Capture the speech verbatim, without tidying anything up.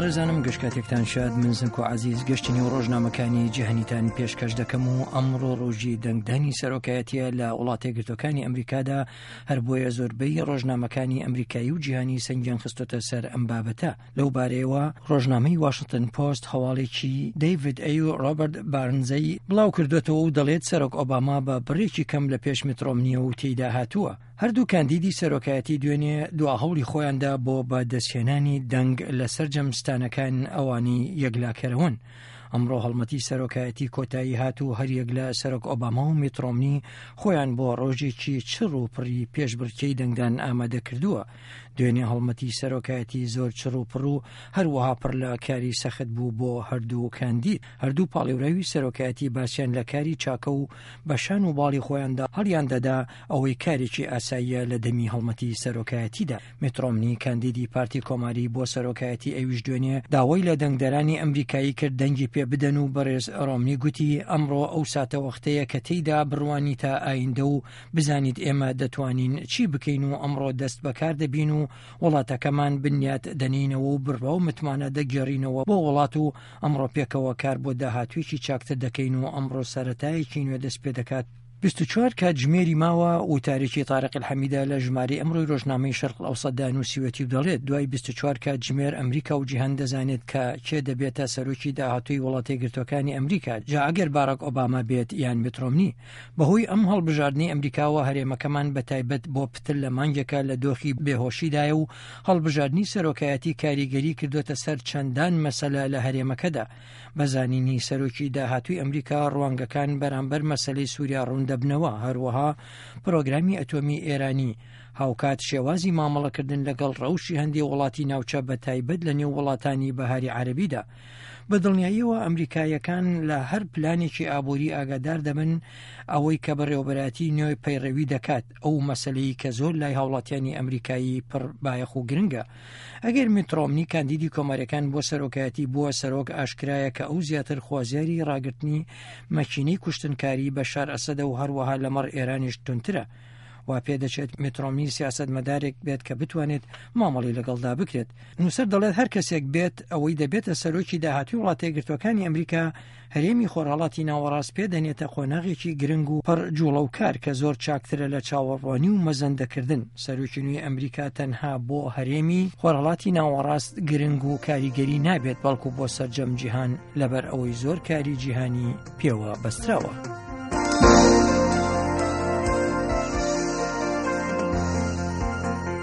بەڕێزانم گشت کاتێکتان شاد، من زنکۆ عەزیز گەشتنی و ڕۆژنامەکانی جیهانیتان پێشکەش دەکەم و ئەمڕۆ ڕۆژی دەنگدانی سەرۆکایەتیە لە وڵاتەیەکگرتووەکانی ئەمریکادا، هەر بۆیە زۆربەی ڕۆژنامەکانی ئەمریکایی و جیهانی سەنگیان خستۆتە سەر ئەم بابەتە. لەو بارەیەوە ڕۆژنامەی واشنتن پۆست هەواڵێکی دەیڤد ئەی و ڕۆبەرت بارنزەی بڵاو کردوێتەوە و دەڵێت سەرۆک ئۆباما بە بڕێکی کەم لە پێش میت ڕۆمنیە و تێیدا هاتووە. هەردوو کاندیدی سەرۆکایەتی دوێنێ دوا هەوڵی خۆیاندا بۆ بە دەستهێنانی دەنگ لە سەرجەم ستانەکان ئەوانی یەکلاکەرەوەن. ئەمڕۆ هەڵمەتی سەرۆکایەتی کۆتایی هات و هەریەک لە سەرۆک ئۆباما و میت ڕۆمنی خۆیان بۆ ڕۆژێکی چڕ و پڕی پێشبڕکێی دەنگدان ئامادە کردووە. دوێنێ هەڵمەتی سەرۆکایەتی زۆر چڕ و پڕ و هەروەها پڕ لە کاری سەخت بوو بۆ هەردوو کاندید. هەردوو پاڵێوراوی سەرۆکایەتی باسیان لە کاری چاکە و بەشان و باڵی خۆیاندا هەڵیان دەدا، ئەوەی کارێکی ئاساییە لە دەمی هەڵمەتی سەرۆکایەتیدا. میت ڕۆمنی کاندیدی پارتی کۆماری بۆ سەرۆکایەتی ئەویش دوێنێ داوای لە دەنگدەرانی ئەمریکایی کرد دەنگی پێ بدەن و بەڕێز ڕۆمنی گوتی ئەمڕۆ ئەو ساتەوەختەیە کە تێیدا بڕوانیتە ئایندە و بزانیت ئێمە دەتوانین چی بکەین و ئەمڕۆ دەست بەکار دەبین و وڵاتەکەمان بنیات دەنینەوە و بڕوا و متمانە دەگێڕینەوە بۆ وڵات و ئەمڕۆ پێکەوە کار بۆ داهاتوویەکی چاکتر دەکەین و ئەمڕۆ سەرەتایەکی نوێ دەست پێ دەکات. بیست و چوار کاتژمێری ماوە وتارێکی تارق الحەمیدە لە ژمارەی ئەمڕۆی ڕۆژنامەی شەرق ئەوسەتدا نووسیوەتی و دەڵێت دوای بیست و چوار کاتژمێر ئەمریکا و جیهان دەزانێت کە کێ دەبێتە سەرۆکی داهاتووی وڵاتەیەکگرتووەکانی ئەمریکا، جا ئەگەر باراک ئۆباما بێت یان میت ڕۆمنی. بەهۆی ئەم هەڵبژاردنەی ئەمریکاوە هەرێمەکەمان بە تایبەت بۆ پتر لە مانگێکە لە دۆخی بێهۆشیدایە و هەڵبژاردنی سەرۆکایەتی کاریگەری کردوێتە سەر چەندان مەسەلە لە هەرێمەکەدا. بە زانینی سەرۆکی داهاتووی ئەمریکا ڕوانگەکان بەرامبەر مەسەلەی سووریا ڕوون دەبنەوە، هەروەها پرۆگرامی ئەتۆمی ئێرانی، هاوکات شێوازی مامەڵەکردن لەگەڵ ڕەوشی هەندێک وڵاتی ناوچە بە تایبەت لە نێو وڵاتانی بەهاری عەرەبیدا. بە دڵنیاییەوە ئەمریکاییەکان لە هەر پلانێکی ئابووری ئاگادار دەبن ئەوەی کە بەڕێوەبەرایەتی نوێ پەیڕەوی دەکات، ئەو مەسەلەی کە زۆر لای هاوڵاتیانی ئەمریکایی پڕ بایەخ و گرنگە. ئەگەر میت ڕۆمنی کاندیدی کۆماریەکان بۆ سەرۆکایەتی بووە سەرۆک، ئاشکرایە کە ئەو زیاتر خوازیاری ڕاگرتنی مەکینەی کوشتنکاری بەشار ئەسەدە و هەروەها لەمەڕ ئێرانیش توندترە. وا پێدەچێت میت ڕۆمنی سیاسەتمەدارێک بێت کە بتوانێت مامەڵی لەگەڵدا بکرێت. نووسەر دەڵێت هەر کەسێک بێت ئەوەی دەبێتە سەرۆکی داهاتووی وڵاتەیەکگرتووەکانی ئەمریکا، هەرێمی خۆرهەڵاتی ناوەڕاست پێدەنێتە قۆناغێکی گرنگ و پڕ جوڵە و کار کە زۆر چاکترە لە چاوەڕوانی و مەزەندەکردن. سەرۆکی نوێی ئەمریکا تەنها بۆ هەرێمی خۆرهەڵاتی ناوەڕاست گرنگ و کاریگەری نابێت، بەڵکو بۆ سەرجەم جیهان، لەبەر ئەوەی زۆر کاری جیهانی پێوە بەستراوە.